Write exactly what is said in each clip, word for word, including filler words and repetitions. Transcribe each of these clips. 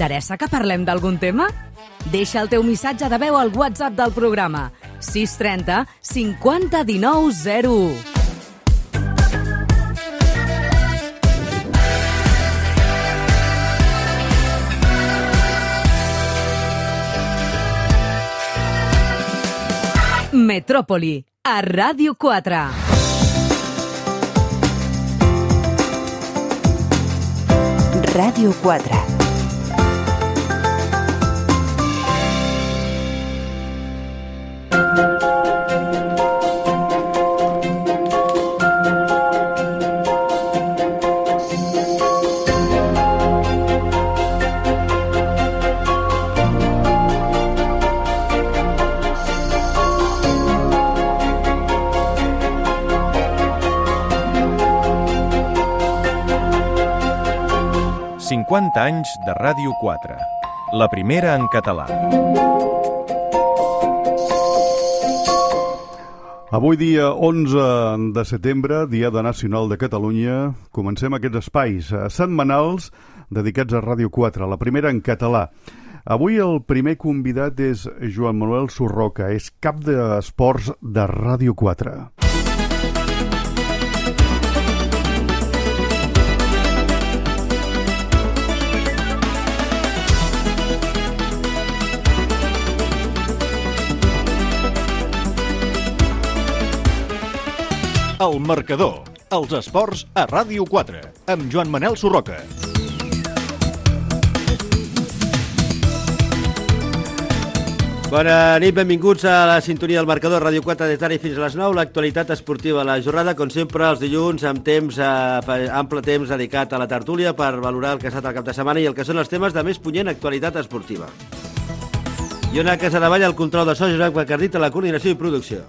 T'interessa que parlem d'algun tema? Deixa el teu missatge de veu al WhatsApp del programa sis trenta cinquanta dinou zero u. Metròpoli, a Ràdio quatre. Ràdio quatre. cinquanta anys de Ràdio quatre, la primera en català. Avui dia onze de setembre, Diada Nacional de Catalunya, comencem aquests espais setmanals dedicats a Ràdio quatre, la primera en català. Avui el primer convidat és Joan Manuel Surroca, és cap d'esports de Ràdio quatre. El Marcador, els esports a Ràdio quatre, amb Joan Manel Surroca. Bona nit, benvinguts a la sintonia del Marcador, Ràdio quatre, des d'ara i fins a les nou. L'actualitat esportiva, la jornada, com sempre, els dilluns, amb temps, eh, ample temps dedicat a la tertúlia per valorar el que ha estat el cap de setmana i el que són els temes de més punyent actualitat esportiva. Iona Casadevall, el control de so, Josep Bacardit, a la coordinació i producció.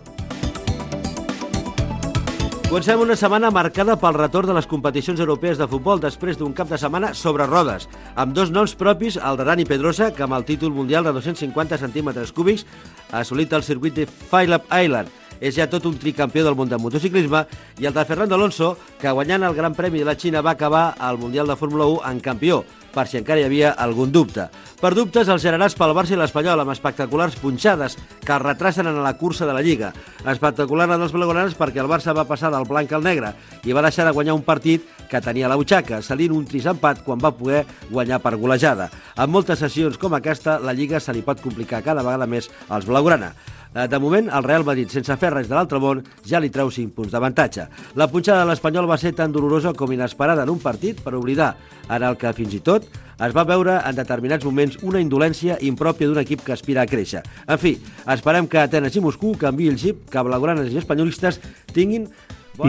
Comencem una setmana marcada pel retorn de les competicions europees de futbol després d'un cap de setmana sobre rodes, amb dos noms propis, el de Dani Pedrosa, que amb el títol mundial de dos-cents cinquanta centímetres cúbics ha assolit el circuit de Phillip Island. És ja tot un tricampió del món del motociclisme, i el de Fernando Alonso, que guanyant el Gran Premi de la Xina va acabar el Mundial de Fórmula u en campió, per si encara hi havia algun dubte. Per dubtes, els generats pel Barça i l'Espanyol, amb espectaculars punxades que els retracen en la cursa de la Lliga. Espectacular la dels blaugranes perquè el Barça va passar del blanc al negre i va deixar de guanyar un partit que tenia a la butxaca, salint un trist empat quan va poder guanyar per golejada. En moltes sessions com aquesta, la Lliga se li pot complicar cada vegada més als blaugrana. De moment, el Real Madrid, sense fer res de l'altre món, ja li treu cinc punts d'avantatge. La punxada de l'Espanyol va ser tan dolorosa com inesperada en un partit per oblidar, en el que fins i tot es va veure en determinats moments una indolència impròpia d'un equip que aspira a créixer. En fi, esperem que Atenes i Moscou canviï el xip, que blaugranes i espanyolistes tinguin...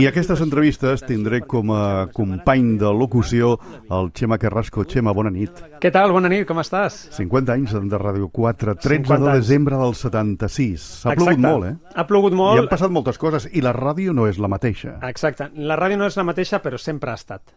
I aquestes entrevistes tindré com a company de locució el Xema Carrasco. Xema, bona nit. Què tal? Bona nit, com estàs? cinquanta anys de Ràdio quatre, tretze de desembre del setanta-sis. Ha Exacte. plogut molt, eh? Ha plogut molt. I han passat moltes coses, i la ràdio no és la mateixa. Exacte. La ràdio no és la mateixa, però sempre ha estat.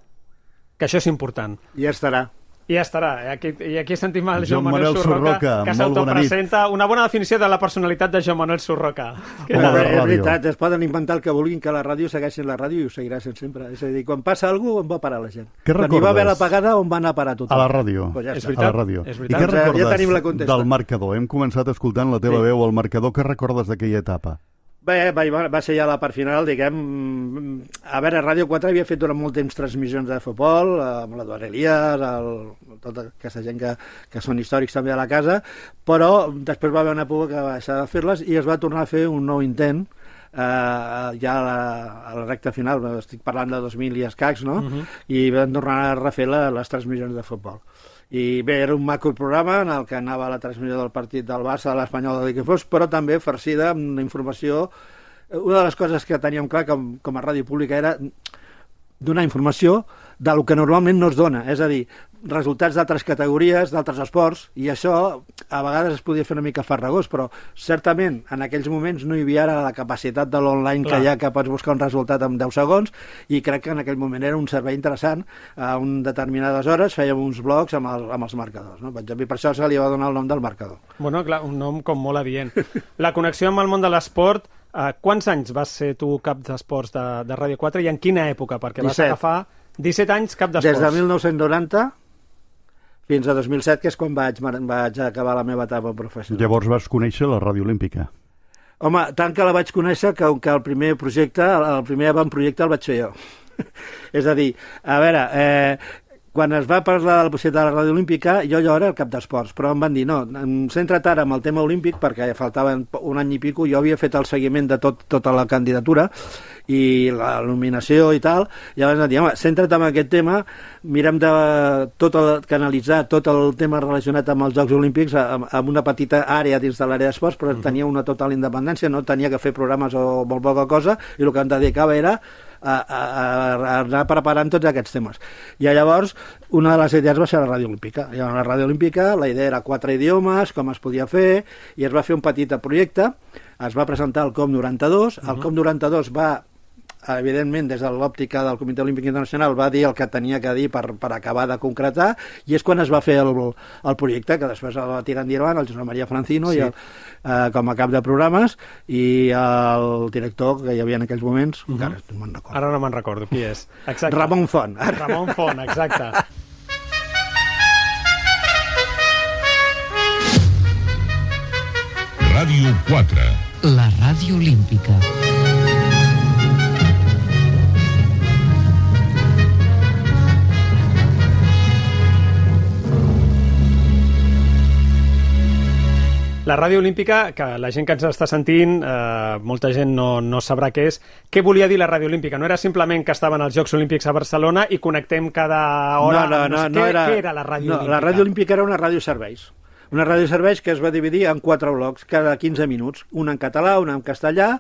Que això és important. I ja estarà. I ja estarà. I aquí, i aquí sentim el Joan Joan Manuel Manuel Surroca, Surroca, que molt s'autopresenta. Una bona definició de la personalitat de Joan Manuel Surroca. Home, de És ràdio. veritat, es poden inventar el que vulguin, que la ràdio segueixi la ràdio i ho seguirà sent sempre. És a dir, quan passa alguna cosa, on va parar la gent? Què Quan hi va haver recordes? l'apagada, on va anar a parar tothom? A la ràdio. Pues ja És està. veritat. A la ràdio. És I veritat. què Doncs, ja recordes tenim la contesta. del marcador? Hem començat escoltant la teva Sí. veu al marcador. Què recordes d'aquella etapa? Bé, va, va ser ja la part final, diguem... A veure, Ràdio quatre havia fet durant molt temps transmissions de futbol, amb l'Eduard Elias, el, tota aquesta gent que, que són històrics també a la casa, però després va haver una època que va deixar de fer-les i es va tornar a fer un nou intent, eh, ja a la, a la recta final, estic parlant de dos mil i escacs, no? Uh-huh. I vam tornar a refer la, les transmissions de futbol. I bé, era un macro programa en el que anava la transmissió del partit del Barça, de l'Espanyol, del que fos, però també farcida amb informació. Una de les coses que teníem clar com, com a ràdio pública era donar informació del que normalment no es dona, és a dir, resultats d'altres categories, d'altres esports, i això a vegades es podia fer una mica farragós, però certament en aquells moments no hi havia ara la capacitat de l'online que hi ha, que pots buscar un resultat en deu segons, i crec que en aquell moment era un servei interessant. A un determinades hores fèiem uns blogs amb, el, amb els marcadors, no? Per exemple, per això se li va donar el nom del marcador. Bueno, clar, un nom com molt adient. La connexió amb el món de l'esport, eh, quants anys vas ser tu cap d'esports de, de Ràdio quatre i en quina època? Perquè vas disset. agafar disset anys cap d'esports. Des de mil nou-cents noranta fins a dos mil set, que és quan vaig, vaig acabar la meva etapa professional. Llavors vas conèixer la Ràdio Olímpica. Home, tant que la vaig conèixer que, que el primer projecte, el primer avantprojecte el vaig fer jo. És a dir, a veure, eh, quan es va parlar de la possibilitat de la Ràdio Olímpica, jo allò era el cap d'esports, però em van dir, no, centra't ara amb el tema olímpic, perquè faltava un any i pico, jo havia fet el seguiment de tot, tota la candidatura i la nominació i tal, i llavors em van dir, home, centra't en aquest tema, mirem de tot el, canalitzar tot el tema relacionat amb els Jocs Olímpics amb, amb una petita àrea dins de l'àrea d'esports, però uh-huh. tenia una total independència, no tenia que fer programes o molt poca cosa, i el que em dedicava era A, a, a anar preparant tots aquests temes. I llavors una de les idees va ser la Ràdio Olímpica. I a la Ràdio Olímpica la idea era quatre idiomes, com es podia fer, i es va fer un petit projecte, es va presentar el COP noranta-dos, el uh-huh. COP noranta-dos va, evidentment, des de l'òptica del Comitè Olímpic Internacional, va dir el que tenia que dir per, per acabar de concretar, i és quan es va fer el, el projecte, que després el va tirar endavant el Josep Maria Francino, sí. i el, eh, com a cap de programes, i el director que hi havia en aquells moments, uh-huh. encara no me'n recordo. Ara no me'n recordo qui és. Exacte. Ramon Font. Ramon Font, exacte. Ràdio quatre. La Ràdio Olímpica. La Ràdio Olímpica, que la gent que ens està sentint, eh, molta gent no, no sabrà què és. Què volia dir la Ràdio Olímpica? No era simplement que estaven els Jocs Olímpics a Barcelona i connectem cada hora... No, no, no. Què, no era, què era la Ràdio no, Olímpica? La Ràdio Olímpica era una ràdio serveis. Una ràdio serveis que es va dividir en quatre blocs, cada quinze minuts. Una en català, una en castellà,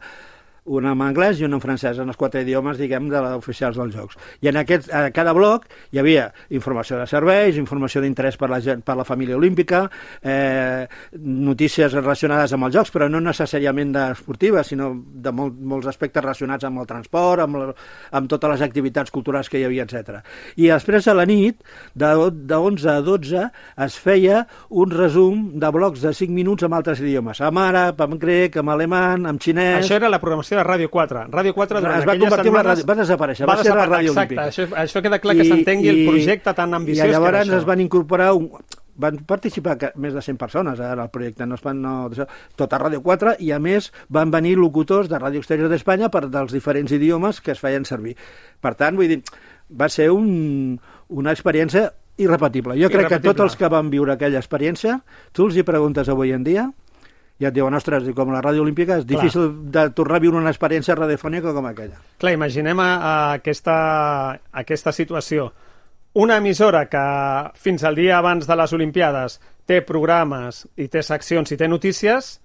una en anglès i una en francès, en els quatre idiomes, diguem, de les oficials dels Jocs. I en aquest, a cada bloc hi havia informació de serveis, informació d'interès per la gent, per la família olímpica, eh, notícies relacionades amb els Jocs, però no necessàriament esportives, sinó de molt, molts aspectes relacionats amb el transport, amb, la, amb totes les activitats culturals que hi havia, etcètera. I després a la nit, de, de onze a dotze, es feia un resum de blocs de cinc minuts amb altres idiomes, amb àrab, amb grec, amb alemany, amb xinès... Això era la programació de Ràdio quatre. Ràdio quatre durant es va aquelles setmanes... Ràdio... Va desaparèixer, va, va ser la Ràdio Exacte, Olímpica. això, això queda clar que s'entengui el projecte tan ambiciós que era això. I llavors es van incorporar... Un... Van participar més de cent persones en el projecte, no es van, no, tot a Ràdio quatre, i a més van venir locutors de Ràdio Exterior d'Espanya per dels diferents idiomes que es feien servir. Per tant, vull dir, va ser un, una experiència irrepetible. Jo crec irrepetible. Que tots els que van viure aquella experiència, tu els hi preguntes avui en dia, ja et diuen, ostres, com la Ràdio Olímpica és Clar. Difícil de tornar a viure una experiència radiofònica com aquella. Clar, imaginem a, a aquesta, a aquesta situació. Una emissora que fins al dia abans de les Olimpiades té programes i té seccions i té notícies,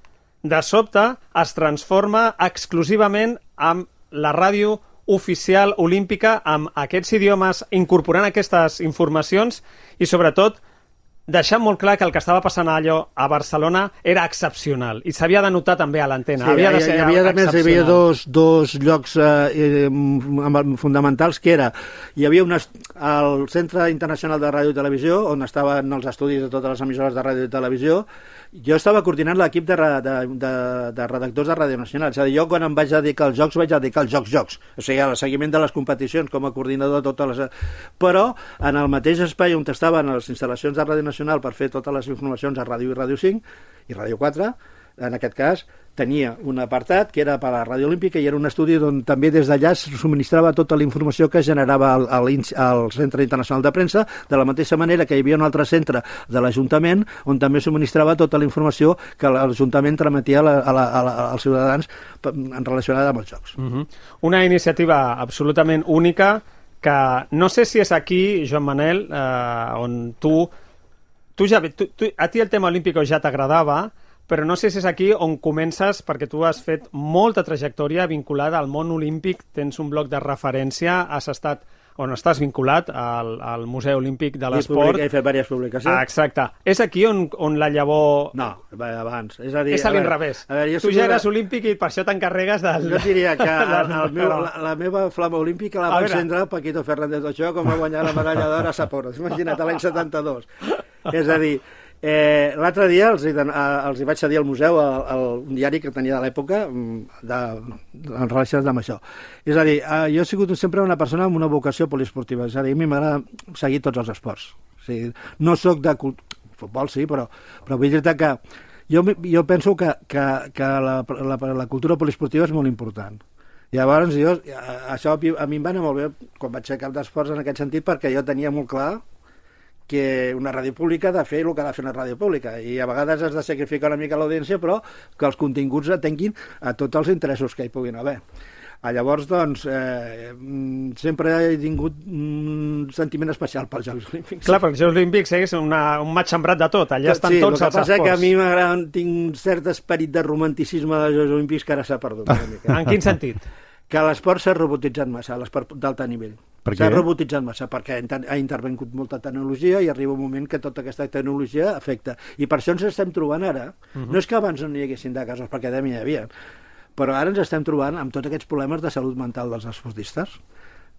de sobte es transforma exclusivament amb la ràdio oficial olímpica, amb aquests idiomes, incorporant aquestes informacions i, sobretot, deixant molt clar que el que estava passant allò a Barcelona era excepcional i s'havia de notar també a l'antena. Sí, havia de ser hi havia, a més, hi havia dos, dos llocs eh, fonamentals, que era, hi havia un el Centre Internacional de Ràdio i Televisió, on estaven els estudis de totes les emissores de ràdio i televisió. Jo estava coordinant l'equip de, de, de, de redactors de Ràdio Nacional. És a dir, jo quan em vaig dedicar als Jocs, vaig dedicar als Jocs-Jocs. O sigui, al seguiment de les competicions com a coordinador de totes les... Però en el mateix espai on estaven les instal·lacions de Ràdio Nacional per fer totes les informacions a Ràdio i Ràdio cinc i Ràdio quatre, en aquest cas, tenia un apartat que era per a la Ràdio Olímpica i era un estudi on també des d'allà es subministrava tota la informació que generava el, el, el Centre Internacional de Premsa, de la mateixa manera que hi havia un altre centre de l'Ajuntament on també subministrava tota la informació que l'Ajuntament trametia a la, a la, a la, als ciutadans en relacionada amb els Jocs. Uh-huh. Una iniciativa absolutament única que no sé si és aquí, Joan Manel, eh, on tu, tu ja, tu, tu, a ti el tema olímpic ja t'agradava, però no sé si és aquí on comences, perquè tu has fet molta trajectòria vinculada al món olímpic, tens un bloc de referència, has estat, on estàs vinculat al, al Museu Olímpic de l'Esport. He fet diverses publicacions. Ah, exacte. És aquí on, on la llavor... No, abans. És a dir... És a l'inrevés. Tu ja eres olímpic i per això t'encarregues del... Jo diria que el, el meu, la, la meva flama olímpica la va encendre Paquito Fernández Ochoa com va guanyar la medalla d'or a Sapporo. Imagina't, l'any setanta-dos. És a dir, Eh, L'altre dia els, hi, els hi vaig cedir al museu el, el, un diari que tenia de l'època de, en relació amb això. És a dir, eh, jo he sigut sempre una persona amb una vocació poliesportiva, és a dir, a mi m'agrada seguir tots els esports. O sigui, no sóc de futbol, sí, però, però vull dir-te que jo, jo penso que, que, que la, la, la cultura poliesportiva és molt important. Llavors, jo, això a mi em va anar molt bé quan vaig ser cap d'esports en aquest sentit, perquè jo tenia molt clar que una ràdio pública ha de fer el que ha de fer una ràdio pública, i a vegades has de sacrificar una mica l'audiència, però que els continguts atenguin a tots els interessos que hi puguin haver. Llavors, doncs, eh, sempre he tingut un sentiment especial pels Jocs Olímpics. Clar, perquè els Jocs Olímpics és una, un matxembrat de tot, allà estan sí, tots els esports. Sí, el que passa és que a mi m'agrada, tinc un cert esperit de romanticisme dels Jocs Olímpics que ara s'ha perdut una mica. En quin sentit? Que l'esport s'ha robotitzat massa, l'esport d'alta nivell. S'ha robotitzat massa perquè ha intervengut molta tecnologia i arriba un moment que tota aquesta tecnologia afecta. I per això ens estem trobant ara. Uh-huh. No és que abans no hi haguessin de casos, perquè també hi havia, però ara ens estem trobant amb tots aquests problemes de salut mental dels esportistes,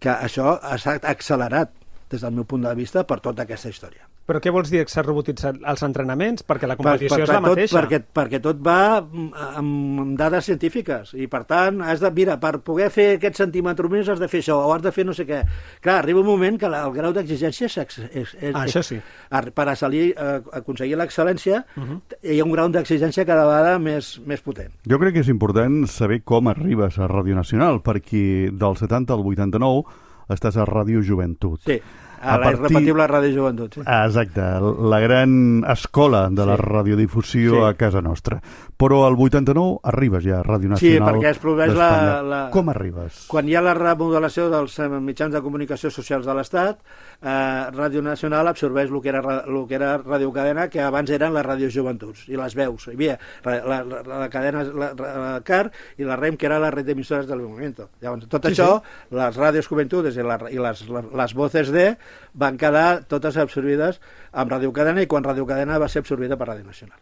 que això s'ha accelerat des del meu punt de vista per tota aquesta història. Però què vols dir que s'ha robotitzat els entrenaments? Perquè la competició per, per, és la tot, mateixa. Perquè, perquè tot va amb, amb dades científiques i, per tant, has de, mira, per poder fer aquest centímetre més has de fer això o has de fer no sé què. Clar, arriba un moment que la, el grau d'exigència és... és, és, és ah, això sí. Per assolir, eh, aconseguir l'excel·lència uh-huh. hi ha un grau d'exigència cada vegada més, més potent. Jo crec que és important saber com arribes a Ràdio Nacional, perquè del setanta al vuitanta-nou estàs a Ràdio Joventut. Sí. A la partir... irrepetible Ràdio Joventut. Sí. Exacte, la gran escola de la sí. radiodifusió sí. a casa nostra. Però al vuitanta-nou arribes ja a Ràdio Nacional. Sí, perquè es produeix la, la... Com arribes? Quan hi ha la remodelació dels mitjans de comunicació socials de l'Estat, eh, Ràdio Nacional absorbeix el que era, el que era Ràdio Cadena, que abans eren les Ràdios Joventuts, i les veus. Hi havia la, la, la, la cadena, la, la C A R i la REM, que era la red d'emissores del Movimiento. Llavors, tot sí, això, sí. les Ràdios Joventudes i, la, i les, les Voces de van quedar totes absorbides amb Ràdio Cadena, i quan Ràdio Cadena va ser absorbida per Ràdio Nacional.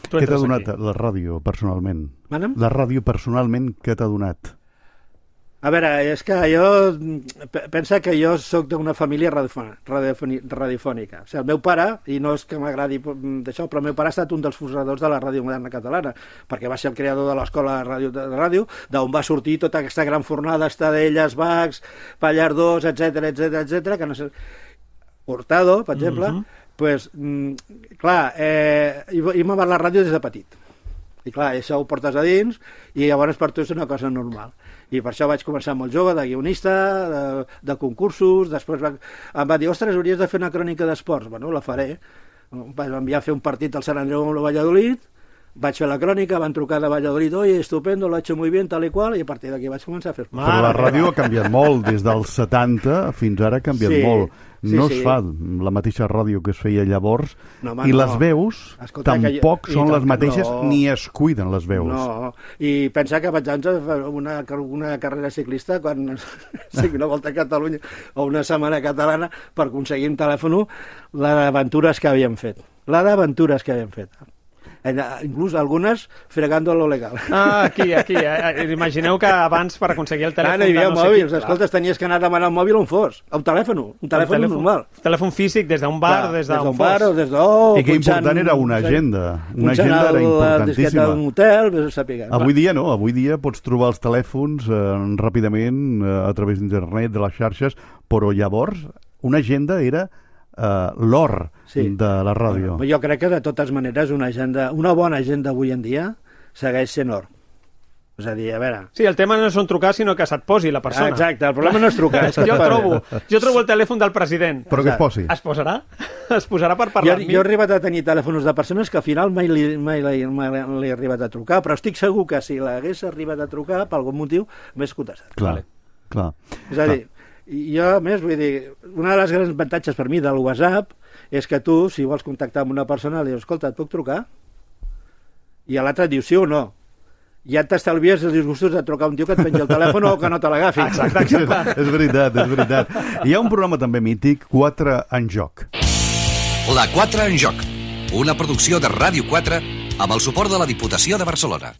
Què t'ha donat aquí la ràdio personalment? Manem? La ràdio personalment, què t'ha donat? A veure, és que jo... Pensa que jo sóc d'una família radiofònica. O sigui, el meu pare, i no és que m'agradi d'això, però el meu pare ha estat un dels fundadors de la ràdio moderna catalana, perquè va ser el creador de l'escola de ràdio, de ràdio, d'on va sortir tota aquesta gran fornada, Estadelles, Bacs, Pallardós, etcètera, etcètera, etcètera, que no sé... Hurtado, per exemple, uh-huh. pues, mm, clar, eh, i, i m'ha la ràdio des de petit. I clar, això ho portes a dins i llavors per tu és una cosa normal. I per això vaig començar molt jove, de guionista, de, de concursos, després va, em va dir, ostres, hauries de fer una crònica d'esports. Bueno, la faré. Vaig enviar a fer un partit al Sant Andreu amb el Valladolid, vaig fer la crònica, van trucar de Valladolid, oi, estupendo, lo ha hecho muy bien, tal i qual, i a partir d'aquí vaig començar a fer esports. Però la ràdio ha canviat molt, des dels setanta fins ara ha canviat sí. molt. Sí, no sí. es fa la mateixa ràdio que es feia llavors, no, home, i no. les veus Escolta, tampoc jo... són I les mateixes, no. ni es cuiden les veus. No, i pensa que vaig anar una, una carrera ciclista quan sigui una volta a Catalunya o una setmana catalana per aconseguir un telèfon la d'aventures que havíem fet. La d'aventures que havíem fet. Inclús algunes fregando lo legal. Ah, aquí, aquí. Eh? Imagineu que abans per aconseguir el telèfon... Ah, no hi havia no mòbils, sé escolta, tenies que anar a demanar el mòbil on fos, a un telèfon, un telèfon, telèfon normal. Un telèfon físic des d'un bar, Clar, des d'un fos. Bar o des d'un... Oh, I que important era una agenda. Una agenda era importantíssima. Un hotel, vés a saber. Avui dia no, avui dia pots trobar els telèfons eh, ràpidament eh, a través d'internet, de les xarxes, però llavors una agenda era Uh, l'or sí. de la ràdio. Bueno, jo crec que de totes maneres una agenda, una bona agenda avui en dia segueix sent or. És a dir, a veure... Sí, el tema no és on trucar, sinó que se't posi la persona. Ah, exacte, el problema no és trucar. És jo, trobo, jo trobo el telèfon del president. Però que es posi. Es posarà? Es posarà per parlar jo, amb mi? Jo he arribat a tenir telèfons de persones que al final mai li, mai li, mai li he arribat a trucar, però estic segur que si l'hagués arribat a trucar, per algun motiu, m'he contestat. Clar, vale. clar. És a dir, jo, a més, vull dir, una de les grans avantatges per mi del WhatsApp és que tu, si vols contactar amb una persona, li dius, escolta, et puc trucar? I l'altre et diu sí o no. Ja t'estalvies els disgustos de trucar un tio que et penja el telèfon o que no te l'agafi. Exacte, exacte. És veritat, és veritat. Hi ha un programa també mític, quatre en joc. La quatre en joc, una producció de Ràdio quatre amb el suport de la Diputació de Barcelona.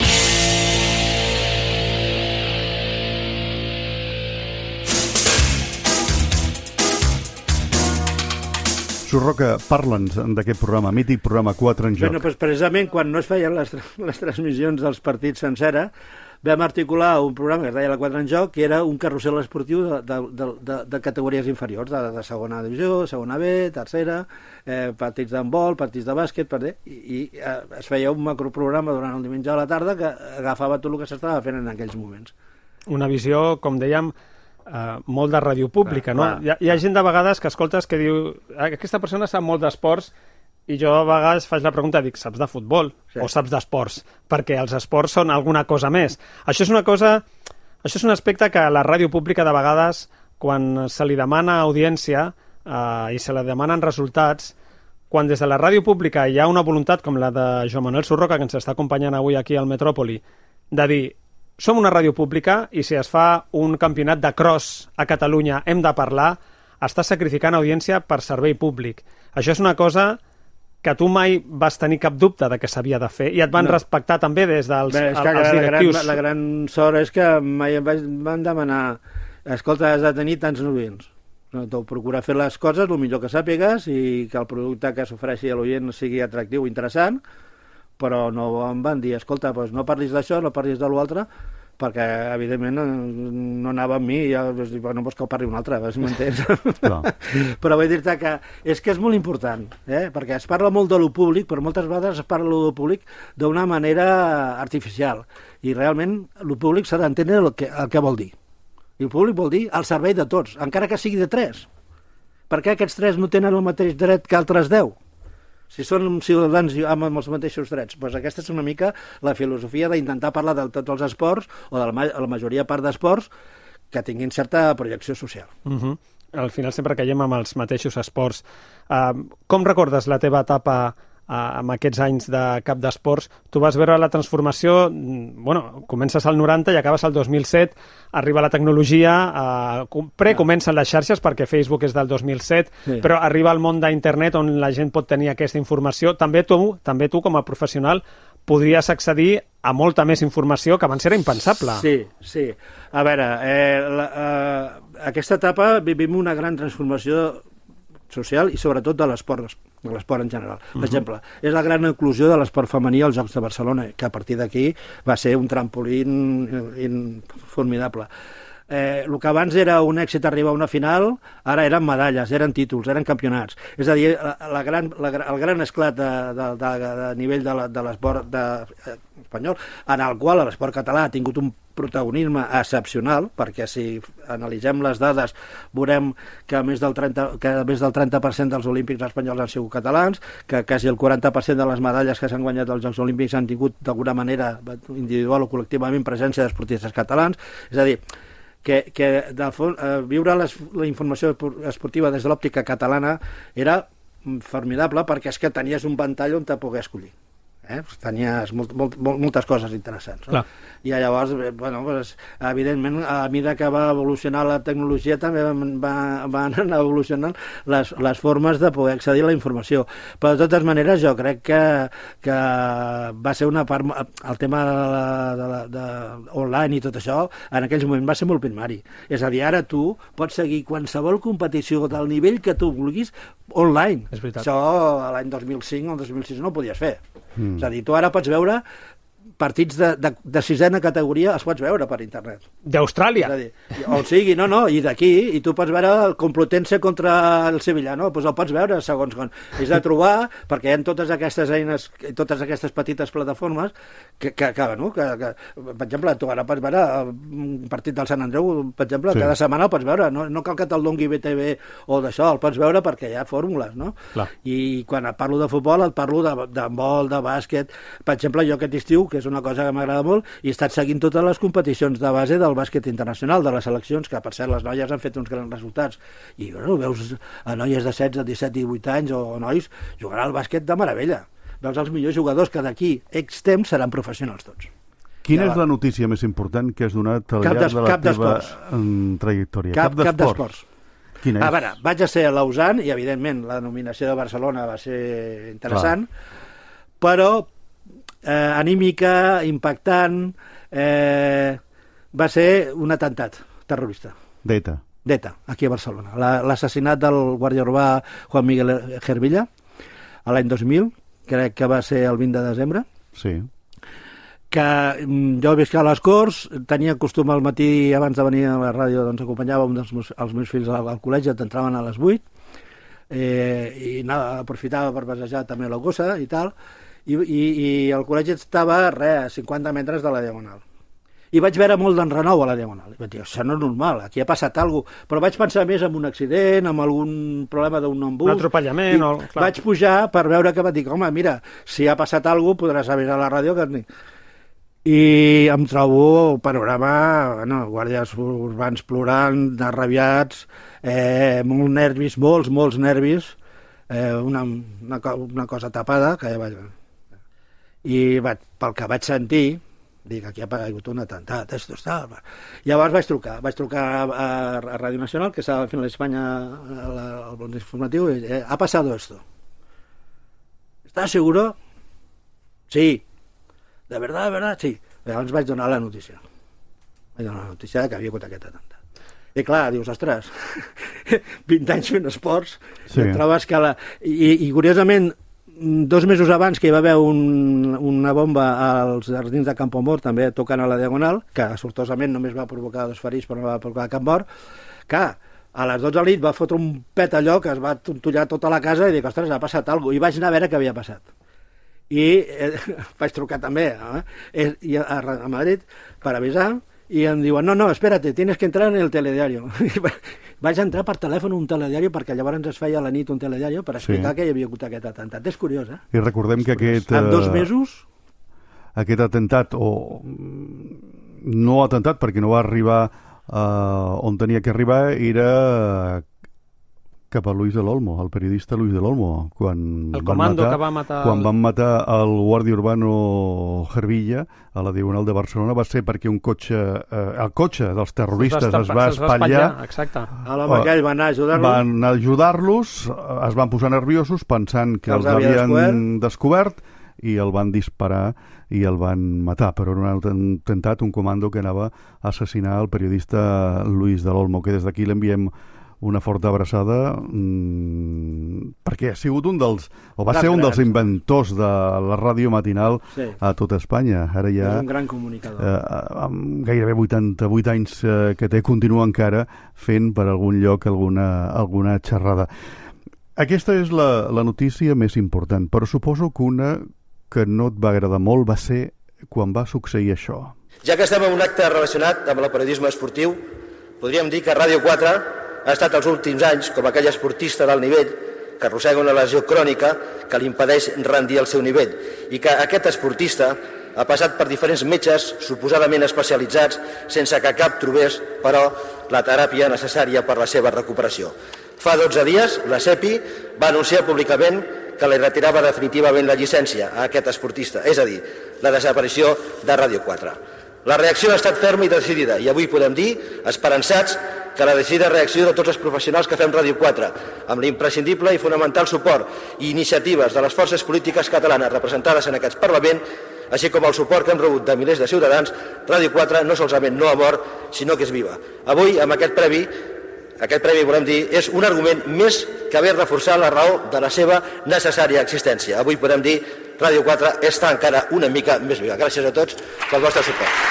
Surroca, parla'ns d'aquest programa, mític programa quatre en joc. Bueno, doncs precisament quan no es feien les, les transmissions dels partits sencera, vam articular un programa que es deia la quatre en joc, que era un carrusel esportiu de, de, de, de, de categories inferiors, de, de segona divisió, segona B, tercera, eh, partits d'handbol, partits de bàsquet, per dir, i, i eh, es feia un macroprograma durant el diumenge a la tarda que agafava tot el que s'estava fent en aquells moments. Una visió, com dèiem, Uh, molt de ràdio pública, clar, no? Clar, hi, ha, hi ha gent de vegades que escoltes que diu aquesta persona sap molt d'esports i jo a vegades faig la pregunta, dic, saps de futbol sí. o saps d'esports? Perquè els esports són alguna cosa més. Això és una cosa, això és un aspecte que a la ràdio pública de vegades, quan se li demana audiència uh, i se li demanen resultats, quan des de la ràdio pública hi ha una voluntat com la de Joan Manuel Surroca, que ens està acompanyant avui aquí al Metròpoli, de dir som una ràdio pública i si es fa un campionat de cross a Catalunya hem de parlar, està sacrificant audiència per servei públic. Això és una cosa que tu mai vas tenir cap dubte de que s'havia de fer i et van no. respectar també des dels Bé, és que els directius. La gran, la gran sort és que mai em van demanar escolta, has de tenir tants novins. Tu procura fer les coses el millor que sàpigues i que el producte que s'ofereixi a l'oient sigui atractiu i interessant, però no em van dir, escolta, doncs no parlis d'això, no parlis de l'altre, perquè, evidentment, no anava amb mi, i ja, no vols que ho parli un altre, si m'entens? No. Però vull dir-te que és que és molt important, eh? Perquè es parla molt de lo públic, però moltes vegades es parla de lo públic d'una manera artificial, i realment lo públic s'ha d'entendre el, que, el que vol dir. I el públic vol dir al servei de tots, encara que sigui de tres. Per què aquests tres no tenen el mateix dret que altres deu? Si són ciutadans amb els mateixos drets. Doncs aquesta és una mica la filosofia d'intentar parlar de tots els esports o de la, la majoria part d'esports que tinguin certa projecció social. Uh-huh. Al final sempre caiem amb els mateixos esports. Uh, com recordes la teva etapa uh, amb aquests anys de cap d'esports? Tu vas veure la transformació, bueno, comences al noranta i acabes al dos mil set, arriba la tecnologia, uh, pre-comencen les xarxes perquè Facebook és del dos mil set, sí. però arriba al món d'internet on la gent pot tenir aquesta informació. També tu, també tu com a professional podries accedir a molta més informació que abans era impensable. Sí, sí. A veure, eh, la, eh, aquesta etapa vivim una gran transformació social i sobretot de l'esport, de l'esport en general. Per uh-huh. exemple, és la gran inclusió de l'esport femení als Jocs de Barcelona, que a partir d'aquí va ser un trampolín in, formidable. Eh, el que abans era un èxit arribar a una final, ara eren medalles, eren títols, eren campionats. És a dir, la, la gran, la, el gran esclat de, de, de, de nivell de, la, de l'esport de, eh, espanyol, en el qual l'esport català ha tingut un protagonisme excepcional, perquè si analitzem les dades veurem que més del trenta, que més del trenta per cent dels olímpics espanyols han sigut catalans, que quasi el quaranta per cent de les medalles que s'han guanyat als Jocs Olímpics han tingut d'alguna manera individual o col·lectivament presència d'esportistes catalans. És a dir, que, que del fons, eh, viure les, la informació esportiva des de l'òptica catalana era formidable perquè és que tenies un ventall on te pogués escollir. Eh? Tenies molt, molt, moltes coses interessants, no? I llavors, bueno, pues, evidentment a mesura que va evolucionar la tecnologia també va, van anar evolucionant les, les formes de poder accedir a la informació, però de totes maneres jo crec que, que va ser una part, el tema de, la, de, la, de online i tot això en aquells moments va ser molt primari, és a dir, ara tu pots seguir qualsevol competició del nivell que tu vulguis online. Això l'any dos mil cinc o el dos mil sis no ho podies fer. Mm. És a dir, tu ara pots veure partits de, de, de sisena categoria, els pots veure per internet. D'Austràlia. O sigui, no, no, i d'aquí, i tu pots veure el Complutense contra el Sevilla, no? Doncs el pots veure segons com. És de trobar, perquè hi ha totes aquestes eines, totes aquestes petites plataformes que, que, que, no? que, que per exemple, tu ara pots veure un partit del Sant Andreu, per exemple, sí. cada setmana el pots veure, no, no cal que te'l dongui B T V o d'això, el pots veure perquè hi ha fórmules, no? Clar. I quan et parlo de futbol, et parlo d'handbol, de, de bàsquet. Per exemple, jo aquest estiu, que és una cosa que m'agrada molt, i he estat seguint totes les competicions de base del bàsquet internacional, de les seleccions, que per cert les noies han fet uns grans resultats, i bueno, veus a noies de setze, disset, divuit anys o nois jugar al bàsquet de meravella, veus els millors jugadors que d'aquí X temps seran professionals tots. Quina ja és la notícia més important que has donat al llarg de la teva trajectòria? Cap, cap d'esports. Quina és? A veure, vaig a ser a Lausanne i evidentment la nominació de Barcelona va ser interessant, clar. Però Eh, anímica, impactant, eh, va ser un atemptat terrorista. D'ETA. d'ETA, aquí a Barcelona. L'assassinat del guàrdia urbà Juan Miguel Hervilla, a l'any dos mil, crec que va ser el vint de desembre, sí. que jo visc a les Corts, tenia costum al matí, abans de venir a la ràdio, doncs acompanyava un dels meus, els meus fills al, al col·legi, entraven a les vuit, eh, i nada, aprofitava per passejar també la gossa i tal, i, i, i el col·legi estava, res, a cinquanta metres de la Diagonal. I vaig veure molt d'enrenou a la Diagonal. I vaig dir, això no és normal, aquí ha passat alguna cosa. Però vaig pensar més en un accident, en algun problema d'un embús. Un atropellament. O... Clar. Vaig pujar per veure que vaig dir, home, mira, si ha passat alguna cosa, podràs avisar a la ràdio. Que... I em trobo el panorama, bueno, guàrdies urbans plorant, arrabiats, eh, molts nervis, molts, molts nervis, eh, una, una, una cosa tapada, que ja vaig... I vaig, pel que vaig sentir, dic, aquí ha hagut un atemptat, esto està... Llavors vaig trucar, vaig trucar a, a Ràdio Nacional, que està al final d'Espanya, al bon informatiu, i eh, ha passado esto. ¿Estás seguro? Sí. ¿De verdad, de verdad? Sí. Llavors vaig donar la notícia. Vaig donar la notícia que havia hagut aquest atemptat. I clar, dius, ostres, vint anys fent esports, sí. Et trobes que la... I, i curiosament, dos mesos abans que hi va haver un, una bomba als jardins de Campoamor, també tocant a la Diagonal, que sortosament només va provocar dos ferits però no va provocar cap mort, que a les dotze de la nit va fotre un pet allò que es va tontollar tota la casa i dic, ostres, ha passat alguna cosa, i vaig anar a veure què havia passat. I eh, vaig trucar també eh, i a, a Madrid per avisar, i em diuen, no, no, espérate, tienes que entrar en el telediario. Vaig entrar per telèfon un telediario, perquè llavors es feia a la nit un telediario per explicar sí. que hi havia hagut aquest atemptat. És curiós, eh? I recordem que aquest... En dos mesos... Aquest atemptat, o no atemptat, perquè no va arribar uh, on tenia que arribar, era cap a Luis del Olmo, el periodista Luis del Olmo, quan, el van comando matar, que va matar... quan van matar el guàrdia urbano Hervilla a la Diagonal de Barcelona, va ser perquè un cotxe, eh, el cotxe dels terroristes es va, es va espatllar. Exacte. A l'home aquell va anar a ajudar-los. Van ajudar-los, es van posar nerviosos pensant que, que els, els havien descobert. descobert i el van disparar i el van matar, però era un atemptat, un comando que anava a assassinar el periodista Luis del Olmo, que des d'aquí l'enviem una forta abraçada, mmm, perquè ha sigut un dels, o va gran, ser un dels gran. inventors de la ràdio matinal sí. a tot Espanya. Ara ja, és un gran comunicador. Eh, amb gairebé vuitanta-vuit anys eh, que té, continua encara fent per algun lloc alguna, alguna xerrada. Aquesta és la, la notícia més important, però suposo que una que no et va agradar molt va ser quan va succeir això. Ja que estem en un acte relacionat amb el periodisme esportiu, podríem dir que Ràdio quatre ha estat els últims anys com aquell esportista d'alt nivell que arrossega una lesió crònica que li impedeix rendir el seu nivell i que aquest esportista ha passat per diferents metges suposadament especialitzats sense que cap trobés, però, la teràpia necessària per la seva recuperació. Fa dotze dies, la SEPI va anunciar públicament que li retirava definitivament la llicència a aquest esportista, és a dir, la desaparició de Ràdio quatre. La reacció ha estat ferma i decidida i avui podem dir, esperançats, que la decidida reacció de tots els professionals que fem Ràdio quatre, amb l'imprescindible i fonamental suport i iniciatives de les forces polítiques catalanes representades en aquest Parlament, així com el suport que hem rebut de milers de ciutadans, Ràdio quatre no solament no ha mort, sinó que és viva. Avui, amb aquest previ, aquest premi, volem dir, és un argument més que haver reforçat la raó de la seva necessària existència. Avui podem dir, Ràdio quatre està encara una mica més viva. Gràcies a tots pel vostre suport.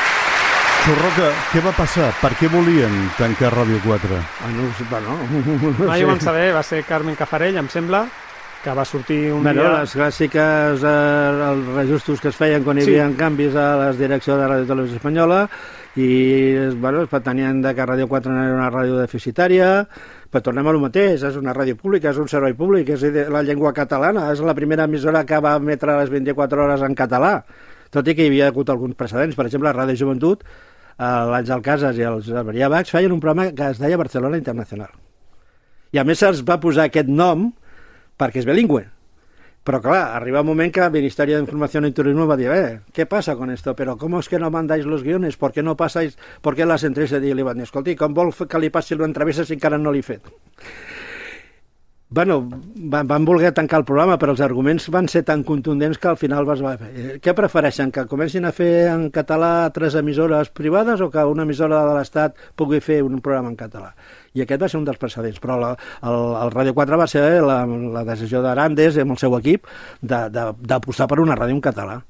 Sorroca, què va passar? Per què volien tancar Ràdio quatre? Ah, no, bueno. Mai ho vam saber, va ser Carmen Cafarell, em sembla, que va sortir un bueno, dia... Les clàssiques, eh, els reajustos que es feien quan hi havia sí. canvis a la direcció de Ràdio Televisió Espanyola, i bueno, es pretenien que Ràdio quatre no era una ràdio deficitària, però tornem a lo mateix, és una ràdio pública, és un servei públic, és la llengua catalana, és la primera emissora que va emetre les vint-i-quatre hores en català, tot i que hi havia hagut alguns precedents. Per exemple, Ràdio Joventut, l'Àngel Casas i els Maria Bax feien un programa que es deia Barcelona Internacional. I a més se'ls va posar aquest nom perquè és bilingüe. Pero claro, arriba un momento que el Ministerio de Información y Turismo va a decir, eh, ¿qué pasa con esto? Pero ¿cómo es que no mandáis los guiones? ¿Por qué no pasáis? ¿Por qué las entrevistas? I li van dir, escolti, com vol que li passi l'entrevista si encara no l'he fet? Bueno, van, van voler tancar el programa, però els arguments van ser tan contundents que al final vas... Què prefereixen, que comencin a fer en català tres emissores privades o que una emissora de l'Estat pugui fer un programa en català? I aquest va ser un dels precedents, però la, el, el Ràdio quatre va ser la, la decisió d'Arandes amb el seu equip d'apostar per una ràdio en català.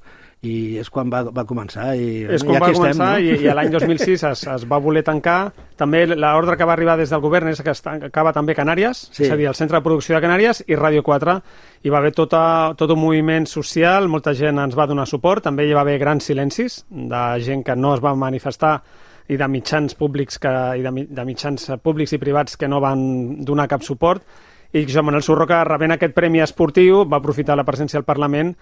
I és quan va, va començar. I, és quan i va aquí començar estem, no? i, i l'any dos mil sis es, es va voler tancar. També l'ordre que va arribar des del govern és que es tancava també Canàries, sí. És a dir, el Centre de Producció de Canàries i Ràdio quatre. Hi va haver tota, tot un moviment social, molta gent ens va donar suport, també hi va haver grans silencis de gent que no es va manifestar i de mitjans públics que, i de, de mitjans públics i privats que no van donar cap suport. I Joan Manuel Surroca, rebent aquest premi esportiu, va aprofitar la presència al Parlament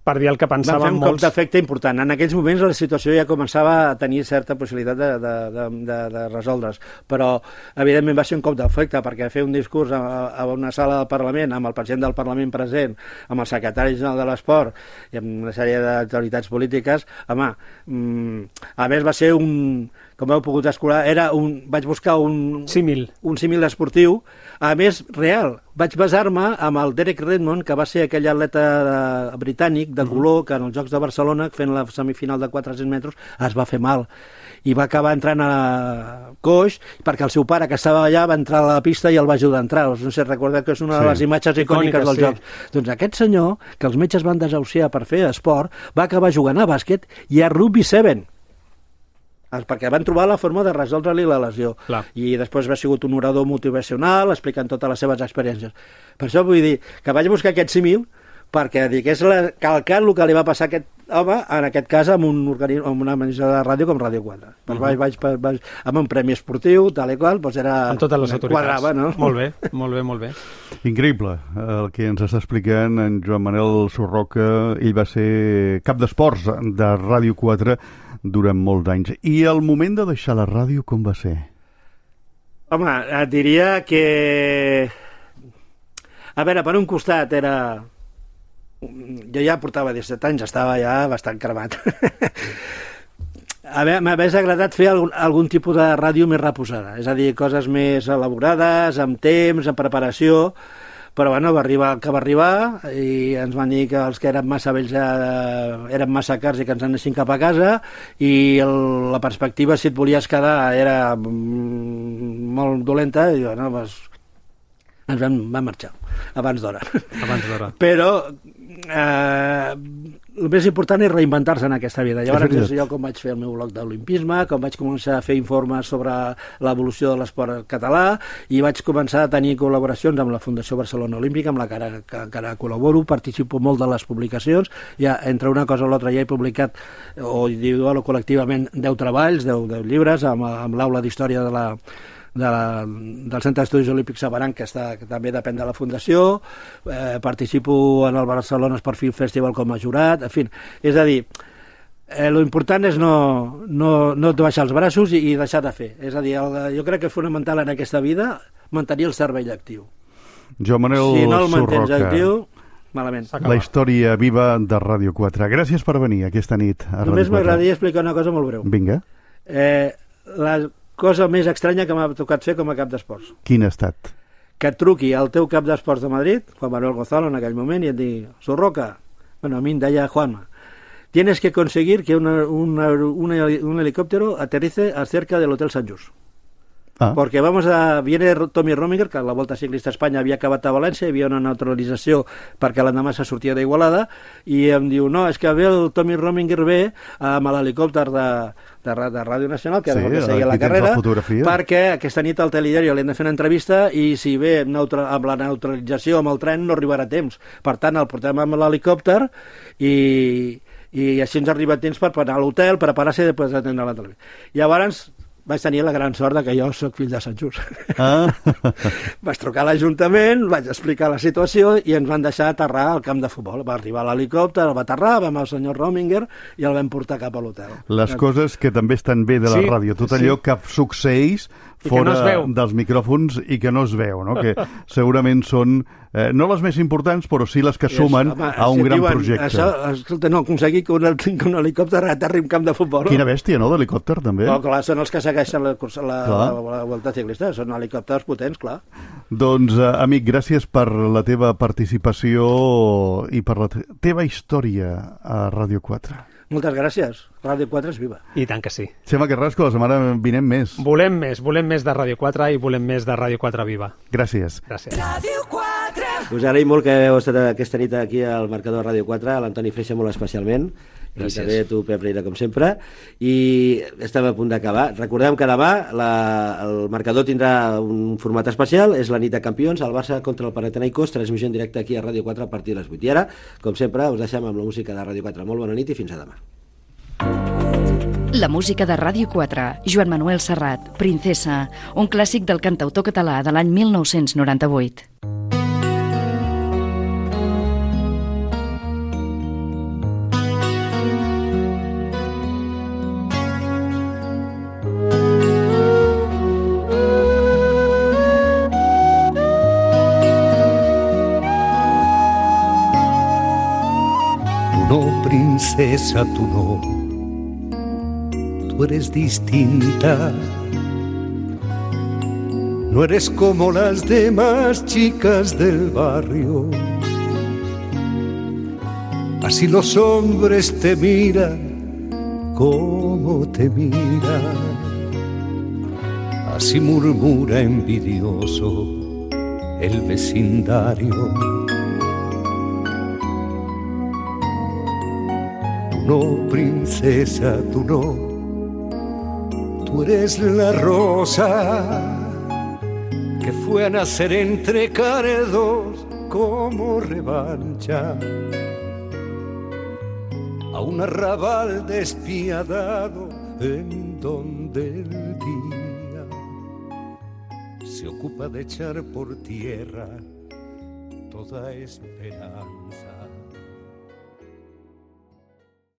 per dir el que pensaven molts. Van fer un cop d'efecte important. En aquells moments la situació ja començava a tenir certa possibilitat de, de, de, de, de resoldre's, però evidentment va ser un cop d'efecte, perquè fer un discurs a, a una sala del Parlament, amb el president del Parlament present, amb el secretari general de l'Esport i amb una sèrie d'autoritats polítiques, home, mm, a més va ser un... com heu pogut escolar, era un, vaig buscar un símil, un símil esportiu, a més, real. Vaig basar-me amb el Derek Redmond, que va ser aquell atleta de, britànic de color, que en els Jocs de Barcelona, fent la semifinal de quatre-cents metres, es va fer mal. I va acabar entrant a coix, perquè el seu pare, que estava allà, va entrar a la pista i el va ajudar a entrar. No sé, recordeu que és una sí. de les imatges icòniques, icòniques dels sí. Jocs. Doncs aquest senyor, que els metges van desahuciar per fer esport, va acabar jugant a bàsquet i a rugby set, perquè van trobar la forma de resoldre-li la lesió. Clar. I després va sigut un orador motivacional explicant totes les seves experiències. Per això vull dir que vaig buscar aquest símil perquè digués la, calcant el que li va passar a aquest home, en aquest cas amb, un organisme, amb una emissora de ràdio com Ràdio quatre. Uh -huh. vaig, vaig, vaig, amb un premi esportiu, tal i qual, doncs era... Amb totes les autoritats. Quadrava, no? Molt bé, molt bé, molt bé. Increïble el que ens està explicant en Joan Manuel Surroca. Ell va ser cap d'esports de Ràdio quatre durant molts anys. I el moment de deixar la ràdio, com va ser? Home, et diria que... A veure, per un costat era... Jo ja portava disset anys, estava ja bastant cremat. A veure, m'hagués agradat fer algun, algun tipus de ràdio més reposada, és a dir, coses més elaborades, amb temps, amb preparació, però bueno, va arribar el que va arribar i ens van dir que els que eren massa vells ja eren massa cars i que ens anessin cap a casa, i el, la perspectiva, si et volies quedar, era molt dolenta, i bueno, doncs, ens vam, vam marxar abans d'hora. Abans d'hora. Però eh, el més important és reinventar-se en aquesta vida. Llavors és jo com vaig fer el meu blog d'olimpisme, com vaig començar a fer informes sobre l'evolució de l'esport català, i vaig començar a tenir col·laboracions amb la Fundació Barcelona Olímpica, amb la que ara, que encara col·laboro, participo molt de les publicacions. Ja, entre una cosa o l'altra, ja he publicat, o individual o col·lectivament, deu treballs, deu, deu llibres, amb, amb l'aula d'història de la De la, del Centre d'Estudis Olímpics Sabaran, que, està, que també depèn de la Fundació. Eh, participo en el Barcelona Sport Film Festival com a jurat, en fi, és a dir, eh, lo important és no, no, no baixar els braços i, i deixar de fer. És a dir, el, jo crec que és fonamental en aquesta vida mantenir el cervell actiu. Joan Manuel si no el mantens Surroca, actiu, malament. La història viva de Ràdio quatre. Gràcies per venir aquesta nit a Ràdio quatre. Només m'agradaria explicar una cosa molt breu. Vinga. Eh, la cosa més estranya que m'ha tocat fer com a cap d'esports. Quin ha estat? Que et truqui al teu cap d'esports de Madrid, Juan Manuel Gonzalo, en aquell moment, i et digui: Surroca, bueno, a mi em deia Juanma, tienes que conseguir que una, una, una, un helicóptero aterrice cerca del Hotel Sant Just. Ah. Porque vamos a... Viene Tommy Rominger, que la Volta Ciclista a Espanya havia acabat a València, hi havia una neutralització perquè l'endemà se sortia d'Igualada, i em diu, no, és que ve el Tommy Rominger ve amb l'helicòpter de, de, de Ràdio Nacional, que sí, era el que seguia la carrera, la perquè aquesta nit al Telediario li hem de fer una entrevista, i si ve neutra, amb la neutralització amb el tren no arribarà a temps. Per tant, el portem amb l'helicòpter i, i així ens arriba a temps per anar a l'hotel, preparar-se i després atendre la televisió. Llavors vaig tenir la gran sort que jo soc fill de Sant Just. Ah. Vaig trucar a l'Ajuntament, vaig explicar la situació i ens van deixar aterrar al camp de futbol. Va arribar l'helicòpter, el va aterrar, vam al senyor Rominger i el vam portar cap a l'hotel. Les coses que també estan bé de la sí, ràdio, tot allò sí. que succeeix fora dels micròfons i que no es veu, no? Que segurament són, eh, no les més importants, però sí les que sumen home, a un si gran diuen, projecte. Això, escolta, no, aconseguir que un, que un helicòpter aterri un camp de futbol. Quina bèstia, no, d'helicòpter, també? Oh, clar, són els que segueixen la, la, la, la Vuelta Ciclista, són helicòpters potents, clar. Doncs, eh, amic, gràcies per la teva participació i per la teva història a Ràdio quatre. Moltes gràcies. Ràdio quatre és viva. I tant que sí. Xema Carrasco, la setmana vinent més. Volem més, volem més de Ràdio quatre i volem més de Ràdio quatre viva. Gràcies. Gràcies. Ràdio quatre. Us agraïm molt que heu estat aquesta nit aquí al marcador Ràdio quatre, a l'Antoni Freixa molt especialment. Gràcies. I també a tu, Pep Reina, com sempre. I estem a punt d'acabar. Recordem que demà la, el marcador tindrà un format especial, és la nit de campions, el Barça contra el Panathinaikos, transmissió en directe aquí a Ràdio quatre a partir de les vuit. I ara, com sempre, us deixem amb la música de Ràdio quatre. Molt bona nit i fins a demà. La música de Ràdio quatre, Joan Manuel Serrat, Princesa, un clàssic del cantautor català de l'any mil nou-cents noranta-vuit. Princesa, tú no, tú eres distinta, no eres como las demás chicas del barrio, así los hombres te miran como te miran, así murmura envidioso el vecindario. No, princesa, tú no, tú eres la rosa que fue a nacer entre caredos como revancha a un arrabal despiadado en donde el día se ocupa de echar por tierra toda esperanza.